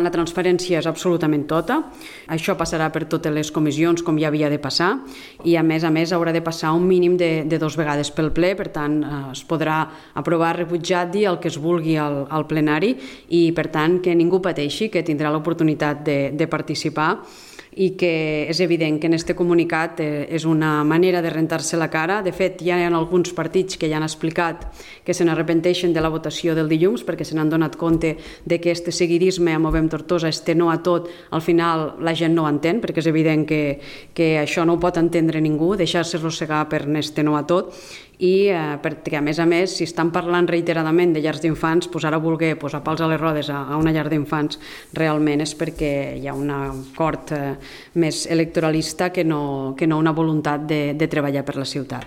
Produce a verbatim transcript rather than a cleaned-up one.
La transparència és absolutament tota. Això passarà per totes les comissions, com ja havia de passar, i a més a més haurà de passar un mínim de, de dos vegades pel ple, per tant es podrà aprovar, rebutjar, dir el que es vulgui al, al plenari i per tant que ningú pateixi, que tindrà l'oportunitat de, de participar i que és evident que en aquest comunicat és una manera de rentar-se la cara. De fet, ja hi ha alguns partits que ja han explicat que se n'arrepenteixen de la votació del dilluns perquè se n'han donat compte de que este seguidisme a Movem Tortosa, este no a tot, al final la gent no ho entén, perquè és evident que, que això no ho pot entendre ningú, deixar-se arrossegar per este no a tot, i eh, perquè a més a més, si estan parlant reiteradament de llars d'infants, pues ara voler posar pals a les rodes a, a una llar d'infants realment és perquè hi ha un acord eh, més electoralista que no, que no una voluntat de, de treballar per la ciutat.